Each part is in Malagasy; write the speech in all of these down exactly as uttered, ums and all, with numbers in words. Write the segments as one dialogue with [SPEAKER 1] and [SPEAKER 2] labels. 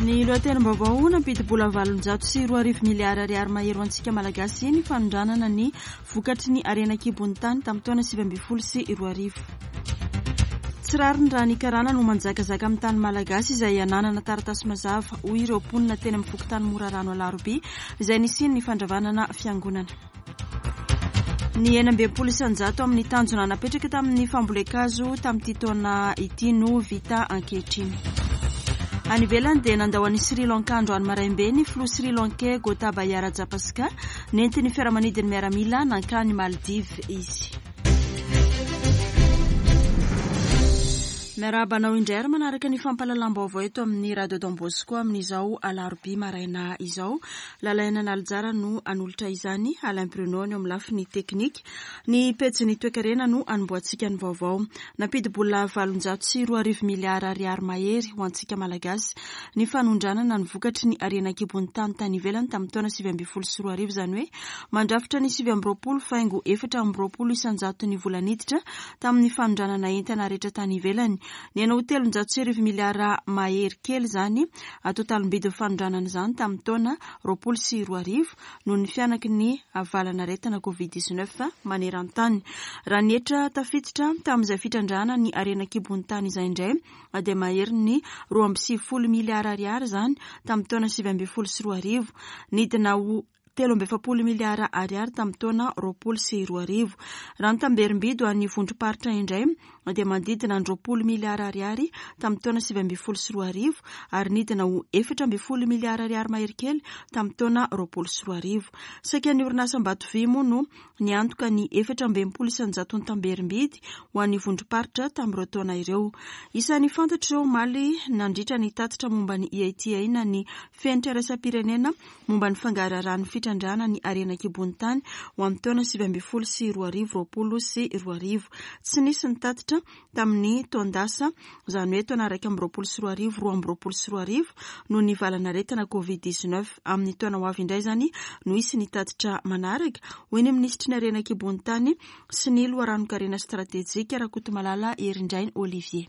[SPEAKER 1] Ny lohatenim-baovao: nampidi-bola valonjato sy roa arivo miliara ariary mahery ho antsika Malagasy ny fanondranana ny vokatry ny harena an-kibon'ny tany tamin'ny taona sivy ambin'ny folo sy roa arivo. Tsy rariny raha ny karana no manjakazaka amin'ny tany malagasy izay ananana taratasy mazava, hoy ireo mponina teny amin'ny fokontany Morarano Alarobia izay nisian'ny fandravanana fiangonana. Ny enina amby enimpolo isanjato amin'ny tanjona napetraka tamin'ny fambolen-kazo tamin'ity taona ity no vita ankehitriny. Any ivelany dia nandao an'i Sri Lanka androany maraimbe ny filoha sri lankais Gotabaya Rajapaksa. Nentin'ny fiaramanidin'ny miaramila nankany Maldives izy. Miarahaba anao indray ary manaraka ny fampahalalam-baovao eto amin'ny Radio Don Bosco amin'izao alarobia maraina izao. Lalaina Nalijara no anolotra izany, Alain Bruno ny eo amin'ny lafiny teknika. Ny pejin'ny toekarena no anombohantsika ny vaovao. Nampidi-bola valonjato sy roa arivo miliara ariary mahery ho antsika Malagasy ny fanondranana ny vokatry ny harena an-kibon'ny tany tany ivelany tamin'ny taona sivy ambin'ny folo sy roa arivo, izany hoe mandrafitra ny sivy amby roapolo faingo efatra amby roapolo isanjato ny vola niditra tamin'ny fanondranana entana rehetra tany ivelany. Nihena ho telonjato sy arivo miliara mahery kely izany totalim-bidin'ny fanondranana izany tamin'ny taona roapolo sy roa arivo noho ny fihanaky ny valan'aretina Covid dix-neuf maneran-tany. Raha ny hetra tafiditra tamin'izay fitrandrahana ny harena an-kibon'ny tany izay indray dia mahery ny roa amby sivifolo miliara ariary izany tamin'ny taona sivy ambin'ny folo sy roa arivo, nidina ho telo amby efapolo miliara ariary tamin'ny taona roapolo sy roa arivo. Raha ny tamberim-bidy ho an'ny vondrom-paritra indray dia manodidina ny roapolo miliara ariary tamin'ny taona sivy ambin'ny folo sy roa arivo ary nidina ho efatra ambin'ny folo miliara ariary mahery kely tamin'ny taona roapolo sy roa arivo. Saika ny orinasa Ambatovy moa no niantoka ny efatra amby enimpolo isanjato ny tamberim-bidy ho an'ny vondrom-paritra tamin'ireo taona ireo. Isan'ny fantatra ireo omaly nandritra ny tatitra momba ny E I T A na ny fenitra iraisam-pirenena momba ny fangaraharahan'ny fitrandrahana ny harena an-kibon'ny tany ho amin'ny taona sivy ambin'ny folo sy roa arivo, roapolo sy roa arivo. Tsy nisy ny tatitra tamin'ny taon-dasa, izany hoe taona iraika amby roapolo sy roa arivo, roa amby roapolo sy roa arivo, noho ny valan'aretina Covid dix-neuf. Amin'ny taona ho avy indray izany no hisy ny tatitra manaraka, hoy ny minisitry ny harena an-kibon'ny tany sy ny loharanon-karena stratejika, Rakotomalala Herindrainy Olivier.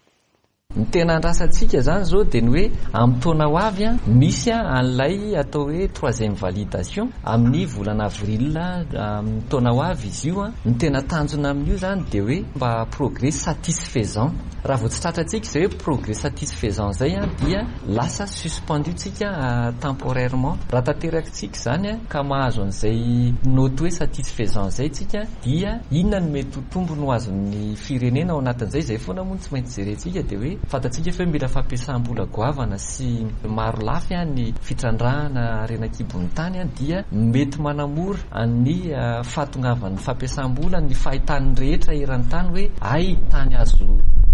[SPEAKER 2] Ny tena andrasantsika zany zao dia ny hoe amin'ny taona ho avy a misy a an'ilay atao hoe troisième validation amin'ny volana avril amin'ny taona ho avy izy io a. Ny tena tanjona amin'io zany dia hoe mba progrès satisfaisant. Raha vao tsy tratrantsika zay hoe progrès satisfaisant zay a, dia lasa suspendu tsika temporairement. Raha tanterakitsika zany a ka mahazo an'izay note hoe satisfaisant zay tsika, dia inona no mety ho tombony ho azon'ny firenena ao anatin'izay? Zay foana moa no tsy maintsy jerentsika, dia hoe fantatsika fa hoe mila fampiasam-bola goavana sy maro lafy a ny fitrandrahana harena an-kibon'ny tany a, dia mety manamora ny fahatongavan'ny fampiasam-bola ny fahitan'ny rehetra eran-tany hoe ay tany azo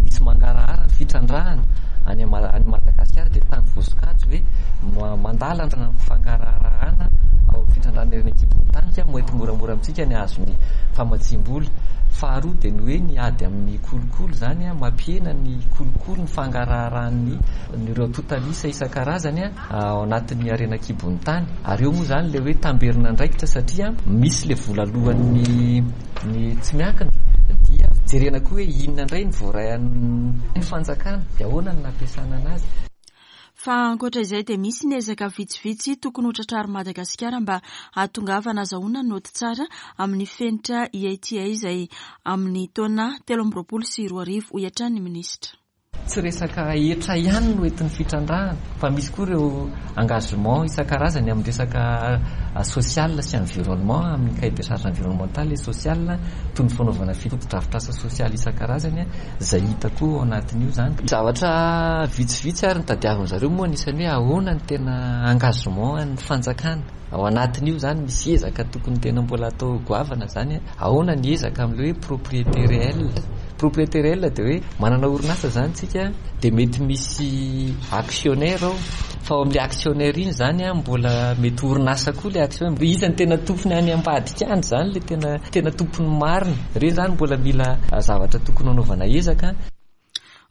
[SPEAKER 2] misy mangarahara ny fitrandrahana any any Madagasikara, dia tany voasokajy hoe mandala fangaraharahana ao fitrandrahana harena an-kibon'ny tany, ka mety moramora amintsika ny azony famatsim-bola. Faharoa dia ny hoe ny ady amin'ny kolikoly zany a, mampihena ny kolikoly, ny fangaraharahan'ny ireo totalisa isan-karazany a ao anatin'ny harena an-kibon'ny tany. Ary eo moa zany le hoe tamberina andraikitra, satria misy le vola alohan'ny ny tsy miankina, dia jerena koa hoe inona indray ny voarain'ny fanjakana, dia ahoana ny nampiasana anazy.
[SPEAKER 1] Fa ankoatra izay dia misy ny ezaka vitsivitsy tokony ho tratrarin'i Madagasikara mba hahatongavana azahoana noty tsara amin'ny fenitra E I T A izay amin'ny taona telo amby roapolo sy roa arivo, hoy hatrany ny minisitra.
[SPEAKER 2] Tsy resaka hetra ihany no entin'ny fitrandrahana, fa misy koa ireo engagement isan-karazany amin'ny resaka social sy environnement, amin'ny cahier de charge environnemental et social, toy ny fanaovana fotodrafitrasa sosialy isan-karazany zay hita koa ao anatin'io zany. Zavatra vitsivitsy ary ny zareo moa, anisan'ny hoe ahoana ny tena engagement ny fanjakana ao anatin'io zany. Misy ezaka tokony tena mbola atao goavana zany. Ahoana ny ezaka amin'le hoe propriété réelle? Propriété réelle dia hoe manana orinasa zany tsika, dia mety misy actionnaire ao, fa ao amin'le actionnaire iny zany a mbola mety orinasa koa le actionnaire. Iza ny tena tompony any ambadika any zany, le tena tena tompony marina reny zany? Mbola mila zavatra tokony hanaovana ezaka.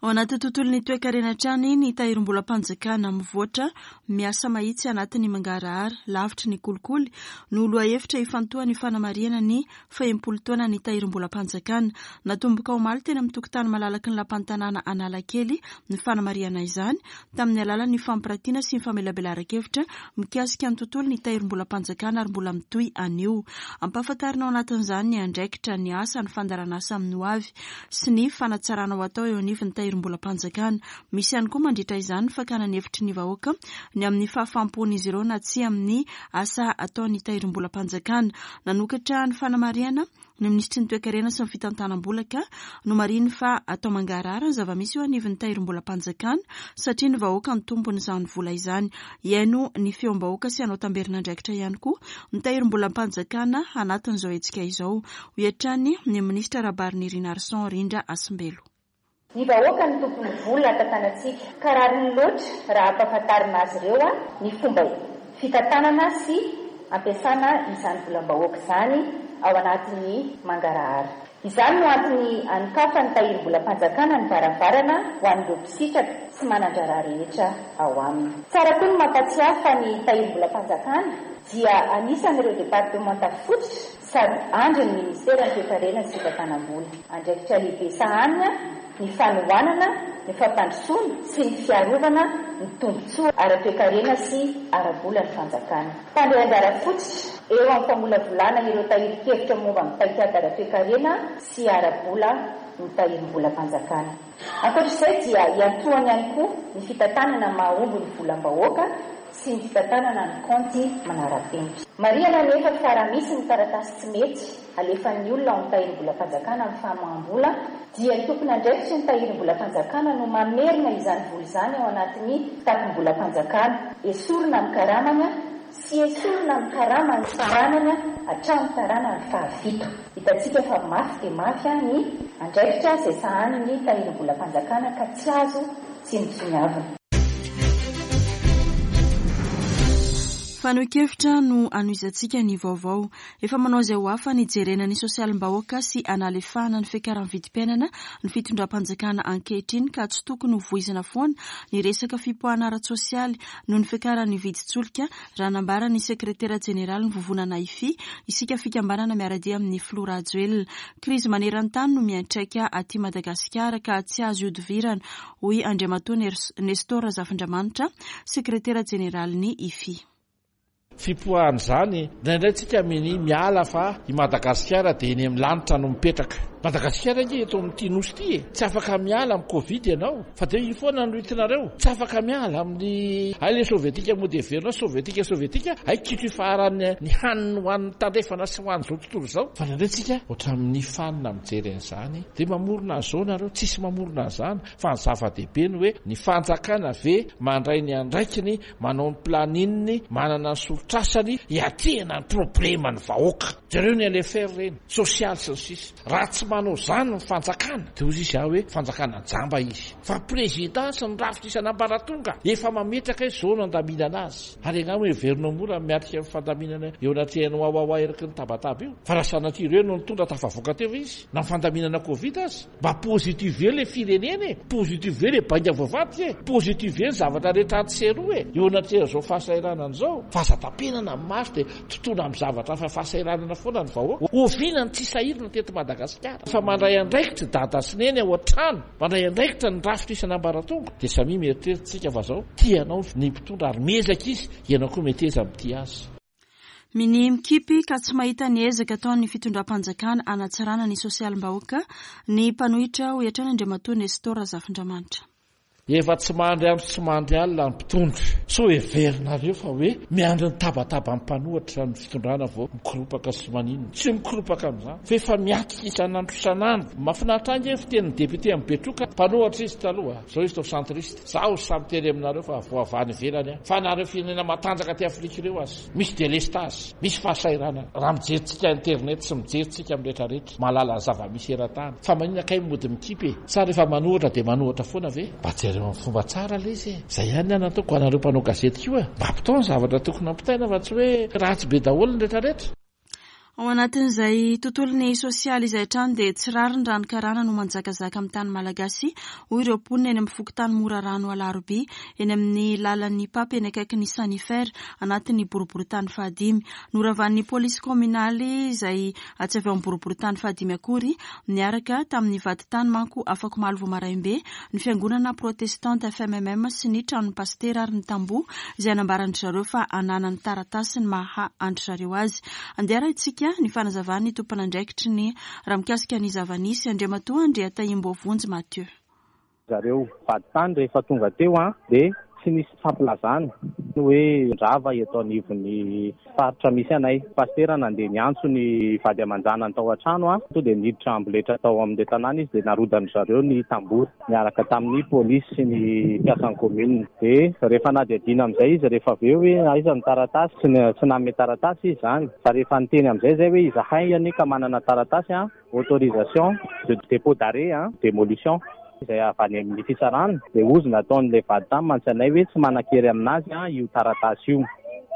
[SPEAKER 1] Ao anaty tontolon'ny toekarena hatrany, ny tahirim-bolam-panjakana mivoatra, miasa mahitsy anatin'ny mangarahara, lavitry ny kolikoly no lohahevitra ifantohan'ny fanamarihana ny fahenimpolo taona ny tahirim-bolam-panjakana. Natomboka omaly teny amin'ny tokotany malalaky ny lapan'ny tanàna Analakely ny fanamarihana izany tamin'ny alalan'ny fampiratiana sy ny famelabelaran-kevitra mikasika ny tontolon'ny tahirim-bolam-panjakana ary mbola mitohy anio. Ampahafantarina ao anatin'izany ny andraikitra, ny asa, ny fandaharanasa amin'ny ho avy sy ny fanatsarana ho atao eo anivon'ny tahirim-bolam-panjakana. Misy ihany koa mandritra izany ny fakana ny hevitry ny vahoaka ny amin'ny fahafaham-pon'izy ireo na tsy amin'ny asa ataon'ny tahirim-bolam-panjakana. Nanokatra ny fanamarihana ny minisitry ny toekarena sy ny fitantanam-bola ka nomarihiny fa atao mangarahara ny zava-misy eo anivon'ny tahirim-bolam-panjakana satria ny vahoaka ny tompon'izany vola izany. Hihaino ny feom-bahoaka sy hanao tamberin'andraikitra ihany koa ny tahirim-bolam-panjakana anatin'izao hetsika izao, hoy hatrany ny minisitra Rahabarinirina Arson Rindra Hasimbelo.
[SPEAKER 3] Ny vahoaka ny tompony vola tantanantsika ka rariny loatra raha ampahafantarina azy ireo a ny fomba fitantanana sy ampiasana izany volam-bahoaka izany ao anatin'ny mangarahara. Izany no antony anokafan'ny tahirim-bolam-panjakana ny varavarana ho an'ireo mpisitraka sy manan-draharaha rehetra ao aminy. Tsara koa ny mampatsiahy fa ny tahirim-bolam-panjakana dia anisan'ireo departemanta fototra sady andrin'ny ministeran'ny toekarena sy fitantanam-bola. Andraikitra lehibe sahanina ny fanohanana ny fampandrosoana sy ny fiarovana ny tombontsoa ara-toekarena sy ara-bola ny fanjakana. Mpandray anjara fototra eo amin'ny famolavolana ireo tahirin-kevitra momba ny paikady ara-toekarena sy ara-bola ny tahirim-bolam-panjakana. Ankoatr'izay dia iantohany ihany koa ny fitantanana mahomby ny volam-bahoaka sy ny fitantanana ny kaonty manara-penitra. Marihana nefa fa raha misy ny taratasy tsy mety alefan'ny olona ao amin'ny tahirim-bolam-panjakana amin'ny famoaham-bola dia ny tompon'andraikitry ny tahirim-bolam-panjakana no mamerina izany vola izany ao anatin'ny kitapom-bolam-panjakana, esorina amin'ny karamany sy esorina amin'ny karamany taranany hatramin'ny taranany fahafito. Hitantsika fa mafy dia mafy ny andraikitra izay sahanin'ny tahirim-bolam-panjakana ka tsy azo tsinontsinoavina.
[SPEAKER 1] Fanehoan-kevitra no anohizantsika ny vaovao. Efa manao izay ho afany hijerena ny sosialim-bahoaka sy analefahana ny fiakaran'ny vidim-piainana ny fitondram-panjakana ankehitriny ka tsy tokony ho voizina foana ny resaka fipoahana ara-tsosialy noho ny fiakaran'ny vidin-tsolika, raha nambara ny sekretera jeneraly ny vovonana I F I, isika fikambanana miara-dia amin'ny filoha Rajoelina. Krizy maneran-tany no miantraika aty Madagasikara ka tsy azo ihodivirana, hoy Andriamatoa Nestor Razafindramanitra, sekretera jeneraly ny I F I.
[SPEAKER 4] Fipoahana izany indraindray tsika mini miala fa i Madagasikara dia eny amin'ny lanitra no mipetraka. Madagasikara nge eto amin'ity nosy ity e, tsy afaka miala amin'ny Covid ianao fa de iny foana no hitinareo, tsy afaka miala amin'ny ay le sovietika moa de verinao sovietika sovietika ay kitro ifaharany ny haniny ho an'ny tandrefana sy ho an'izao tontolo izao. Fa indraindray tsika ohatra amin'ny fanina mijery an'izany de mamorona an'izao nareo, tsisy mamorona an'izany fa ny zava-dehibe ny hoe ny fanjakana ve mandray ny andraikiny, manao ny planning, manana ny soritrasany hiatrehana ny problema ny vahoaka. Jereo ny L F R reny sosialy sy ny sisa. Raha tsy manao zany ny fanjakana de ozy izy ah hoe fanjakana jamba izy, fa président sy ny rafitra isan'ambaratonga efa mametraka hoe zao no andaminana azy. Ary angamo hoe heverinao mora miatrika ny fandaminana eo anatrehan'ny wawawa eraky ny tabataba io, fa raha sanatria ireo no nitondra, tafavoaka teo izy na ny fandaminana Covid azy. Mba positive le firenena e, positive le bainga voavadika e, positive ny zavatra rehetra atsy e eo anatrehan'izao fahasahiranana zao, fa aza tapenana amin'ny maso de tontolo amin'ny zavatra fa fahasahiranana foana ny vahoaka. Oviana ny tsy sahirana teto Madagasikara? Fa mandray andraikitra dada sy neny ao an-trano, mandray andraikitra ny rafitra isan'ambaratonga, de samy mieritreritsika fa zao tianao ny mpitondra ary miezaka izy, ianao koa meteza mitia azy.
[SPEAKER 1] Mini mikipy ka tsy mahita ny ezaka ataon'ny fitondram-panjakana anatsarana ny sosialim-bahoaka ny mpanohitra, hoy hatrany Andriamatoa Nestor Razafindramanitra.
[SPEAKER 4] Efa tsy mandry andro tsy mandry alina ny mpitondra. So heverinareo fa hoe miandry ny tabataba ny mpanohitra ny fitondrana vao mikoropaka sy maninona? Tsy mikoropaka amin'izany fa efa miatrika isan'andro isan'andro. Mahafinaritra ange fitenin'ny député amin'ny Betroka, mpanohitra izy taloha, zao izy tao centriste. Zaho samy teny aminareo fa voavany ivelany a fa nareo firenena matanjaka ty Afrika ireo azy misy délestage, misy fahasahiranana. Raha mijeritsika internet sy mijeritsika amin'ny rehetrarehetra, mahalala ny zava-misy eran-tany, fa maninona kay mody mikipy e? Sa rehefa manohitra de manohitra foana ve? Mba jereo amin'ny fomba tsara le izy e. Zay ihany ny anataoko anareo mpanao gazety koa, mba ampitao ny zavatra tokony ampitaina fa tsy hoe ratsy be daholo ny rehetrarehetra.
[SPEAKER 1] Ao anatin'izay tontolon'ny sosialy izay hatrany dia tsy rariny raha ny karana no manjakazaka amin'ny tany malagasy, hoy ireo mponina eny amin'ny fokontany Morarano Alarobia, eny amin'ny lalan'ny Pape eny akaikin'ny Sanifer, anatin'ny boriborintany fahadimy. Noravan'ny polisy kominaly izay tsy avy ao amin'ny boriborintany fahadimy akory, niaraka tamin'ny vadintany manko afak'omaly vao maraim-be, ny fiangonana protestante F M M M sy ny tranon'ny pastera ary ny tamboho izay nambaran-dry zareo fa ananany taratasy ny maha an-dry zareo azy. Andeha arahintsika ny fanazavan'ny tompon'andraikitry ny raha mikasika ny zava-nisy, Andriamatoa Andriatahimboavonjy Mathieu.
[SPEAKER 5] Zareo vadintany rehefa tonga teo an, dia tsy nisy fampilazana hoe rava eto anivon'ny faritra misy anay. Pastera nandeha niantso ny vady aman-janany tao an-trano an, to dia niditra amboletra tao amin'ilay tanàna izy, dia narodan-dry zareo ny tamboho niaraka tamin'ny polisy sy ny mpiasan'ny commune. Dia rehefa nadiadiana amin'izay izy rehefa avy eo hoe aiza ny taratasy, tsy n-, tsy nanome taratasy izy izany. Fa rehefa niteny amin'izay izay hoe izahay anie ka manana taratasy an, autorisation de dépôt d'arrêt an, démolition izay avy any amin'ny fitsarana, dia hozy nataon'ilay vadintany mantsy anay hoe tsy manan-kery aminazy an io taratasy io.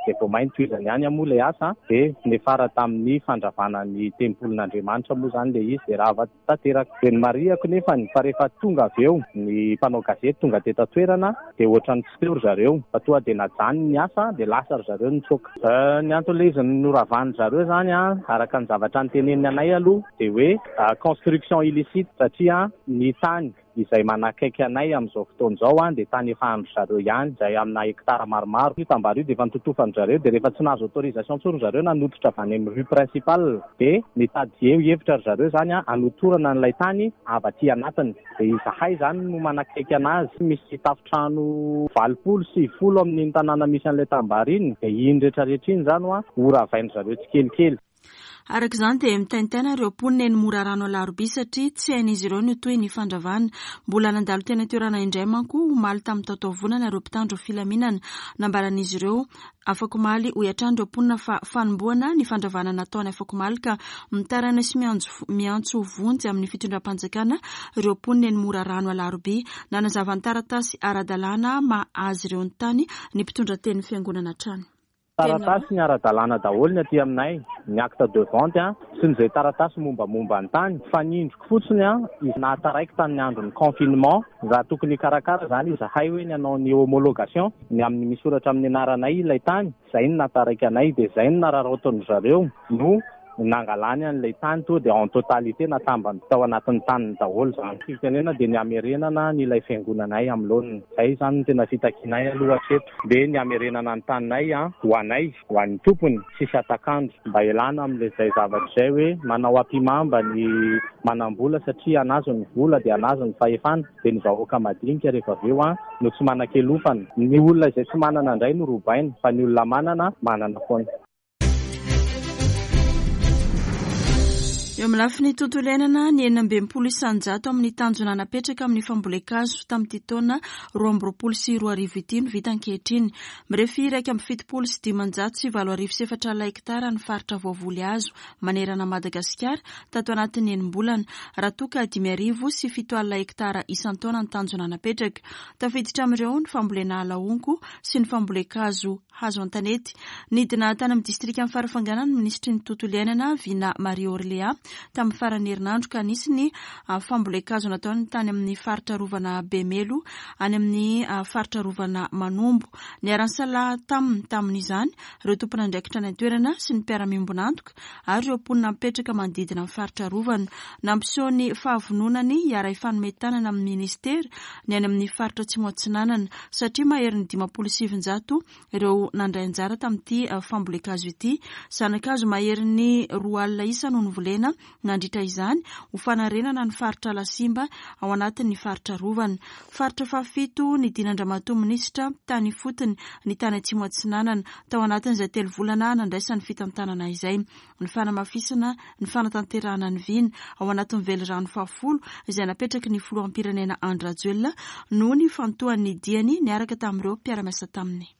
[SPEAKER 5] Dia vao mainty tohizany ihany moa ilay asa, dia niafara tamin'ny fandravana ny tempolin'Andriamanitra moa izany ilay izy, dia rava tanteraka. Dia nomarihako nefa fa rehefa tonga avy eo ny mpanao gazety tonga teto an-toerana, dia ohatran'ny tsy teo ry zareo, fa tonga dia najanony ny asa, dia lasa ry zareo nitsoaka. Eh, ny anton'ilay izy noravan'ny zareo izany an, araka ny zavatra noteneniny anay aloha, dia hoe, ah, construction illicite, satria ny tany izay manakaiky anay amin'izao fotoana izao an, dia tany efa andry zareo ihany, izay amina hektara maromaro. Io tambary io dia efa nototofan-dry zareo, dia rehefa tsy nahazo autorisation intsony ry zareo nanototra avy any amin'ny rue principale, dia nitady eo hevitra ry zareo izany an, hanotorana an'ilay tany avy aty anatiny. Dia izahay izany no manakaiky anazy, misy tafontrano valopolo sy folo amin'iny tanàna misy an'ilay tambary iny, dia iny rehetrarehetra iny izany an, ho ravain-dry zareo tsikelikely.
[SPEAKER 1] Araka izany dia mitaintaina ireo mponina eny Morarano Alarobia satria tsy hain'izy ireo ny toy ny fandravana. Mbola nandalo teny an-toerana indray manko omaly tamin'ny taotaovonana ireo mpitandro filaminana. Nambaran'izy ireo afak'omaly hoy hatrany ireo mponina fa fanombohana ny fandravana nataony afak'omaly ka mitaraina sy miantso, miantso vonjy amin'ny fitondram-panjakana ireo mponina eny Morarano Alarobia. Nanazava ny taratasy ara-dalàna maha azy ireo ny tany ny mpitondra tenin'ny fiangonana hatrany.
[SPEAKER 5] Taratasy ny ara-dalàna daholo ny aty aminay, ny acte de vente an, sy ny izay taratasy mombamomba ny tany. Fa ny indriko fotsiny an, izy nahataraiky tamin'ny andron'ny confinement, raha tokony hikarakara izany izahay hoe ny hanao ny homologation, ny amin'ny misoratra amin'ny anaranay ilay tany, izay no nahataraiky anay, dia izay no nararaotin-dry zareo no nangalany an'ilay tany to dia en totalité natambany tao anatin'ny taniny daholo izany. Fitenena dia ny hamerenana ny ilay fiangonanay amin'ny laoniny. Izay izany no tena fitakianay aloha hatreto. Dia ny hamerenana ny taninay an, ho anay, ho an'ny tompony, tsisy atakandro. Mba hialana amin'ilay izay zavatra izay hoe manao ampimamba ny manam-bola satria anazy ny vola dia anazy ny fahefana, dia ny vahoaka madinika rehefa avy eo an, no tsy manan-kelofana. Ny olona izay tsy manana indray no robaina, fa ny olona manana, manana foana.
[SPEAKER 1] Eo amin'ny lafiny tontolo iainana, ny enina amby enimpolo isan-jato amin'ny tanjona napetraka amin'ny fambolen-kazo tamin'ity taona roa amby roapolo sy roa arivo ity no vita ankehitriny. Mirefy iraika amby fitopolo sy dimanjato sy valo arivo sy efatra alina hektara ny faritra voavoly hazo manerana Madagasikara tato anatin'ny enim-bolana, raha toa ka dimy arivo sy fito alina hektara isan-taona ny tanjona napetraka. Tafiditra amin'ireo ny fambolena ala honko sy ny fambolen-kazo hazo an-tanety. Nidina tany amin'ny distrikan'i Farafangana ny minisitry ny tontolo iainana Vina Marie Orléa tamin'ny faran'ny herinandro ka nisy ny fambolen-kazo nataony tany amin'ny faritra arovana Bemelo any amin'ny faritra arovana Manombo. Niara-nisalahy taminy tamin'izany ireo tompon'andraikitra any an-toerana sy ny mpiara-miombon'antoka ary ireo mponina mipetraka manodidina ny faritra arovana. Nampiseho ny fahavononany hiara-hifanome tanana amin'ny ministera ny any amin'ny faritra Atsimo Atsinanana satria maherin'ny dimampolo sy sivinjato ireo nandray anjara tamin'ity fambolen-kazo ity. Zana-kazo maherin'ny roa alina isa no novolena nandritra izany ho fanarenana ny faritra Alasimba ao anatin'ny faritra arovana. Faritra fahafito nidinandramatoa minisitra tany ifotony ny tany Atsimo Atsinanana tao anatin'izay telo volana nandraisan'ny fitantanana izay. Ny fanamafisana ny fanatanterahana ny vina ao anatin'ny velirano fahafolo izay napetraky ny filoham-pirenena Andry Rajoelina noho ny fantohan'ny diany niaraka tamin'ireo mpiara-miasa taminy.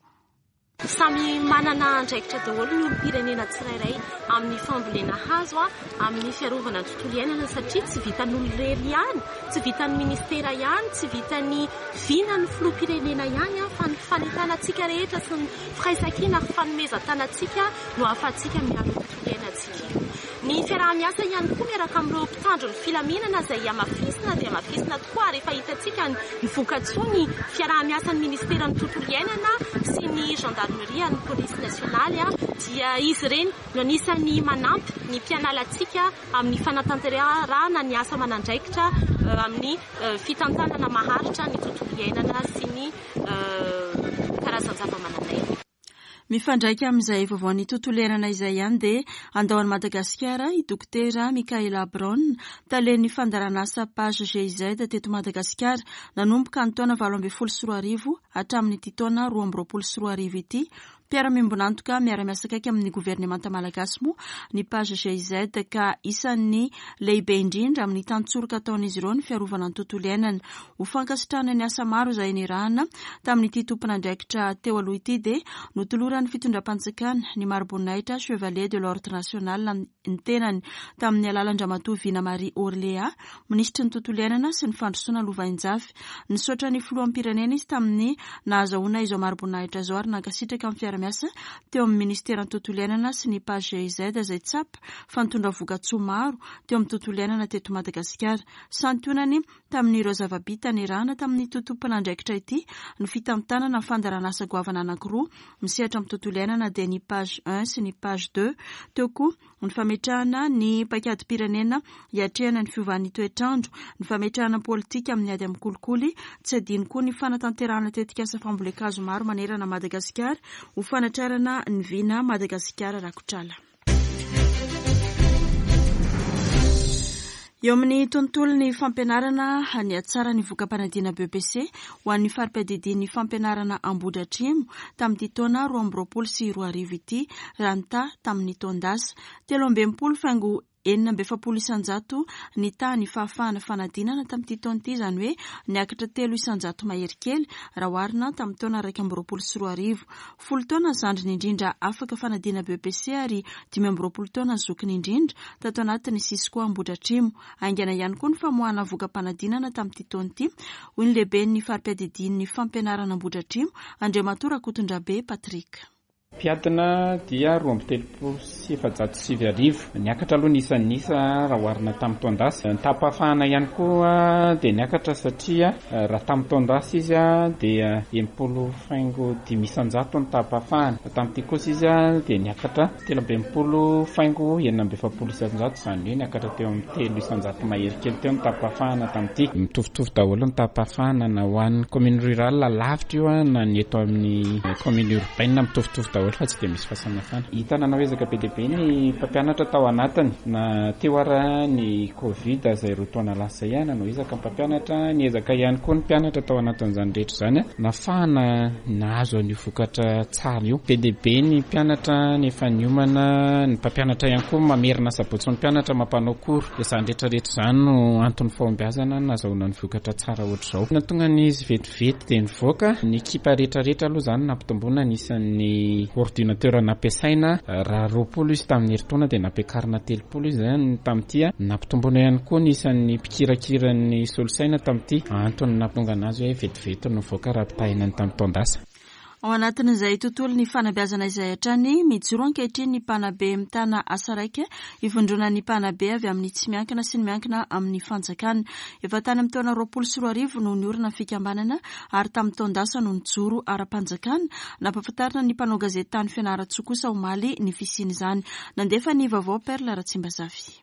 [SPEAKER 6] Samy manana andraikitra daholo ny olom-pirenena tsirairay amin'ny fambolena hazo, amin'ny fiarovana ny tontolo iainana satria tsy vitan'olo irery ihany, tsy vitan'ny ministera ihany, tsy vitan'ny vinan'ny filoham-pirenena ihany, fa ny fanentanantsika rehetra sy ny firaisankina ary fanomezan-tanantsika no ahafahantsika miaro ny tontolo iainantsika io. Ny fiaraha-miasa ihany koa miaraka amin'ireo mpitandro ny filaminana izay hamafisina dia hamafisina tokoa, ary efa hitantsika ny vokatsoa ny fiaraha-miasan'ny ministeran'ny tontolo iainana sy ny gendarmerie ny polisy nasionaly, dia izy ireny no anisan'ny manampy ny mpianalantsika amin'ny fanatanterahana ny asa aman'andraikitra amin'ny fitantanana maharitra ny tontolo iainana sy ny karazan-java-mananaina.
[SPEAKER 1] Mifandraika amin'izay vaovaon'ny tontolo iainana izay ihany dia andao an'i Madagasikara i Dokotera Michaela Brown, talen'ny fandaharanasa PAJ G I Z teto Madagasikara nanomboka ny taona valo ambin'ny folo sy roa arivo hatramin'ity taona roa amby roapolo sy roa arivo ity. Mpiara-miombon'antoka miara-miasa akaiky amin'ny governemanta malagasy moa ny PAJ G I Z, ka isan'ny lehibe indrindra amin'ny tantsoroka ataon'izy ireo ny fiarovana ny tontolo iainana. Ho fankasitrahana ny asa maro izay nirahana tamin'ity tompon'andraikitra teo aloha ity dia notoloran'ny fitondram-panjakana ny mari-boninahitra Chevalier de l'Ordre National ny tenany tamin'ny alalan-dRamatoa Vina Marie Orléa, minisitry ny tontolo iainana sy ny fandrosoana lovainjafy. Nisaotra ny filoham-pirenena izy tamin'ny nahazahoana izao mari-boninahitra izao ary nankasitraka amin'ny fiara-miasa teo amin'ny ministeran'ny tontolo iainana sy ny PAJ G I Z izay tsapa fa nitondra vokatsoa maro teo amin'ny tontolo iainana teto Madagasikara. Santionany tamin'ireo zava-bita nirahana tamin'ny tompon'andraikitra ity ny fitantanana ny fandaharanasa goavana anankiroa misehatra amin'ny tontolo iainana, dia ny PAJ un sy ny PAJ deux. Teo koa ny fametrahana ny paikadim-pirenena hiatrehana ny fiovan'ny toetrandro, ny fametrahana politika amin'ny ady amin'ny kolikoly. Tsy adino koa ny fanatanterahana tetikasa fambolen-kazo maro manerana Madagasikara ho fanatrarana ny vina Madagasikara rakotrala. Eo amin'ny tontolo ny fampianarana, ny atsara ny voka-panadina B E P C ho an'ny fari-piadidian'ny fampianarana Ambohidratrimo tamin'ity taona roa amby roapolo sy roa arivo ity raha ny taha tamin'ny taon-dasa, telo amby enimpolo faingo enina amby efapolo isanjato ny taha ny fahafahana fanadinana tamin'ity taona ity, izany hoe niakatra telo isanjato mahery kely raha oharina tamin'ny taona iraika amby roapolo sy roa arivo. Folo taona ny zandriny indrindra afaka fanadina B E P C ary dimy amby roapolo taona ny zokiny indrindra tato anatin'ny Cisco Ambohidratrimo. Haingana ihany koa ny famoahana voka-panadinana tamin'ity taona ity, hoy ny lehiben'ny fari-piadidian'ny fampianarana Ambohidratrimo, Andriamatoa Rakotondrabe Patrick.
[SPEAKER 7] Mpiadina dia roa amby telopolo sy efajato sivy arivo. Niakatra aloha ny isan'ny isa raha oharina tamin'ny taon-dasa. Ny taham-pahafahana ihany koa dia niakatra satria raha tamin'ny taon-dasa izy a dia enimpolo faingo dimy isanjato ny taham-pahafahana, tamin'ity kosa izy a dia niakatra telo amby enimpolo faingo enina amby efapolo isanjato, izany hoe niakatra teo amin'ny telo isanjato mahery kely teo ny taham-pahafahana tamin'ity. Mitovitovy daholo ny taham-pahafahana na ho an'ny commune rurale lavitra io a na ny eto amin'ny commune urbaine, mitovitovy daholo fa tsy dia misy fahasamihafana. Hita nanao ezaka be dia be ny mpampianatra tao anatiny na teo ara ny Covid izay roa taona lasa izay a nanao ezaka mpampianatra, niezaka ihany koa ny mpianatra tao anatin'izany rehetra izany a nahafahana nahazo an'io vokatra tsara io. Be dia be ny mpianatra nefa niomana, ny mpampianatra ihany koa mamerina sabotsy ny mpianatra mampanao cours, dia izany rehetrarehetra izany no antony fahombiazana nahazoana ny vokatra tsara ohatr'izao. Nahatonga an'izy vetivety dia nivoaka ny ekipa rehetrarehetra aloha izany, nampitomboana ny isan'ny ordinateur nampiasaina. Raha roapolo izy tamin'ny herintaona dia nampiakarina telopolo izy zany tamin'ity a nampitomboana ihany koa ny isan'ny mpikirakira ny solosaina tamin'ity. Antony nahatonga anazy hoe vetivety no nivoaka raha ampitahaina ny tamin'ny taon-dasa.
[SPEAKER 1] Ao anatin'izay tontolo ny fanabeazana izay hatrany, mijoro ankehitriny ny mpanabe mitana asa raika ivondronan'ny mpanabe avy amin'ny tsy miankina sy ny miankina amin'ny fanjakana. Efa tany amin'ny taona roapolo sy roa arivo no niorina fikambanana ary tamin'ny taon-dasa no nijoro ara-panjakana. Nampahafantarina ny mpanao gazety tany Fianarantsoa kosa omaly ny fisian'izany. Nandefa ny vaovao Perle Ratsimbazafy.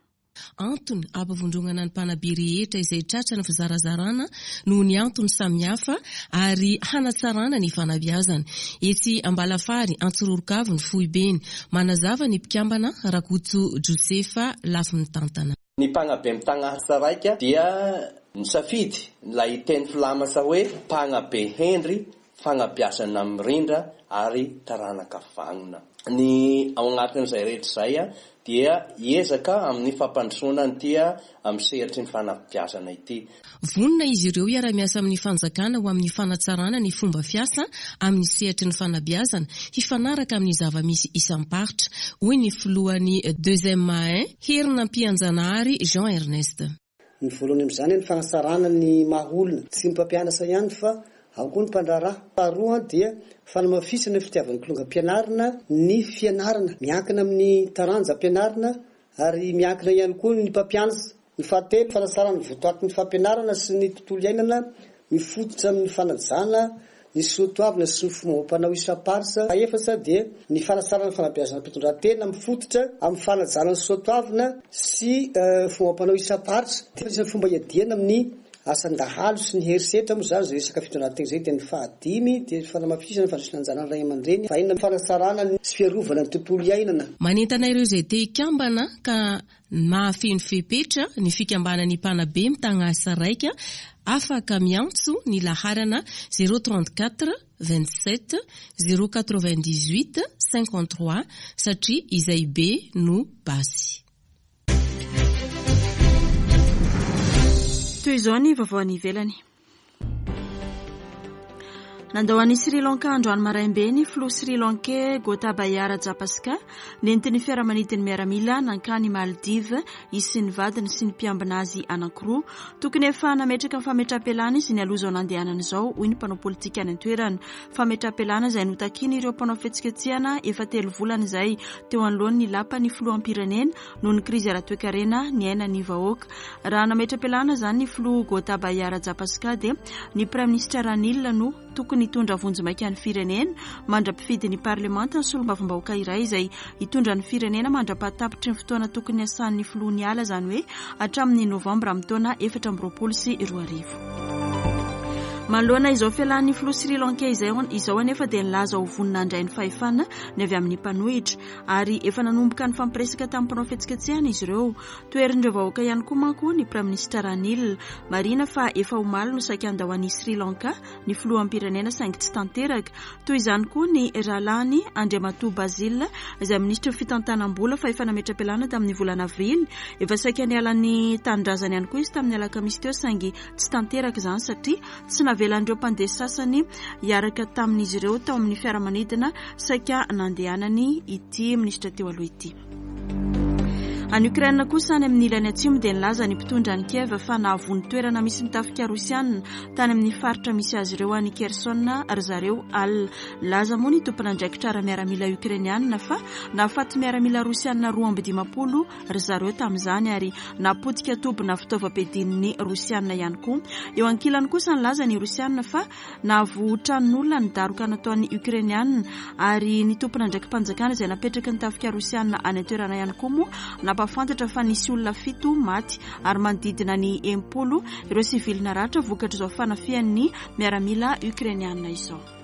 [SPEAKER 8] Antony ampivondronana ny mpanabe rehetra izay tratra ny fizarazarana noho ny antony samihafa ary hanatsarana ny fanabeazana. Etsy Ambalafary Antsiroarovy ny foibeny. Manazava ny mpikambana Rakoto Josefa lafy mitantana.
[SPEAKER 9] Ny mpanabe mitana asa raika dia nisafidy ilay teny filamatra hoe mpanabe hendry, fanabeazana mirindra ary taranaka vanona. Ny ao anatin'izay rehetra izay a dia ezaka amin'ny fampandrosoana nyity a amin'ny sehatry ny fanabeazana ity.
[SPEAKER 8] Vonona izy ireo hiara-miasa amin'ny fanjakana ho amin'ny fanatsarana ny fomba fiasa amin'ny sehatry ny fanabeazana hifanaraka amin'ny zava-misy isam-paritra, hoy ny filohan'ny deuxième A un Herinampianjanahary Jean Ernest.
[SPEAKER 10] Ny voalohany amin'izany ny fanatsarana ny maha olona, tsy ny mpampianatra ihany fa ao koa ny mpandraharaha. Faharoa dia fanamafisana ny fitiavan'ny kilonga ampianarina ny fianarana miankina amin'ny taranja ampianarina. ary miankina ihany koa ny mpampianatra. Ny fahatelo, fanatsarana ny votoatin'ny fampianarana sy ny tontolo iainana mifototra amin'ny fanajana ny soatoavina sy ny fombam-panao isam-paritra. Fahaefatra dia ny fanatsarana ny fanabeazana mpitondran-tena mifototra amin'ny fanajana ny soatoavina sy fombam-panao isam-paritra. Anisan'ny fomba iadiana amin'ny asan-dahalo sy ny herisetra moa izany izay resaka fitondran-tena izay. Dia ny fahadimy dia ny fanamafisana ny fandraisana anjara ny ray aman-dreny. Fahenina, fanatsarana sy fiarovana ny tontolo iainana.
[SPEAKER 8] Manentana ireo izay te hikambana ka mahafeno fepetra ny fikambanan'ny mpanabe mitagna asa raika, afaka miantso ny laharana zéro trente-quatre vingt-sept zéro quatre-vingt-dix-huit cinquante-trois satria izay be no basy.
[SPEAKER 1] Toy izao ny vaovao any ivelany. Nandao an'i Sri Lanka androany maraim-be ny filoha Sri Lankais Gotabaya Rajapaksa, nentin'ny fiaramanidin'ny miaramila nankany Maldives izy sy ny vadiny sy ny mpiambina azy anankiroa. Tokony efa nametraka ny fametraham-pialana izy nialoha izao nandehanana izao, hoy ny mpanao politika any an-toerana. Fametraham-pialana izay notakian'ireo mpanao fihetsiketsehana efa telo volana izay teo anoloan'ny lapan'ny filoham-pirenena noho ny krizy ara-toekarena niainan'ny vahoaka. Raha nametra-pialana izany ny filoha Gotabaya Rajapaksa dia ny praiminisitra Ranil no tokony hitondra vonjimaika ny firenena mandra-pifidy ny parlemanta ny solombavambahoaka iray izay hitondra ny firenena mandra-pahatapitry ny fotoana tokony hiasan'ny filoha niala, izany hoe hatramin'ny novambra amin'ny taona efatra amby roapolo sy roa arivo. Manoloana izao fialan'ny filoha Sri Lankais izao, izao anefa dia nilaza ho vonona handray ny fahefana ny avy amin'ny mpanohitra ary efa nanomboka ny fampiresaka tamin'ny mpanao fihetsiketsehana izy ireo. Toherin'ireo vahoaka ihany koa manko ny praiminisitra Ranil. Marihina fa efa omaly no saika handao an'i Sri Lanka ny filoham-pirenena saingy tsy tanteraka. Toy izany koa ny rahalahiny Andriamatoa Basil izay minisitry ny fitantanam-bola fa efa nametra-pialana tamin'ny volana avrily. Efa saika niala ny tanindrazany ihany koa izy tamin'ny alakamisy teo saingy tsy tanteraka izany satria tsy navelan'ireo mpandeha sasany hiaraka tamin'izy ireo tao amin'ny fiaramanidina saika nandehanany ity minisitra teo aloha ity. Any Ukraine kosa any amin'ny ilany atsimo dia nilaza ny mpitondra ny Kiev fa nahavono toerana misy ny tafika rosiana tany amin'ny faritra misy azy ireo any Kherson ry zareo alina. Nilaza moa ny tompon'andraikitra ara-miaramila ukrainiana fa nahafaty miaramila rosiana roa amby dimampolo ry zareo tamin'izany ary napotika tobina fitaovam-piadian'ny rosiana ihany koa. Eo ankilany kosa nilaza ny rosiana fa nahavoa tranon'olona ny daroka nataon'ny ukrainiana ary ny tompon'andraiki-panjakana izay napetraky ny tafika rosiana any an-toerana ihany koa moa nampahafantatra fa nisy olona fito maty ary manodidina ny enimpolo ireo sivily naratra vokatr'izao fanafihan'ny miaramila ukrainiana izao.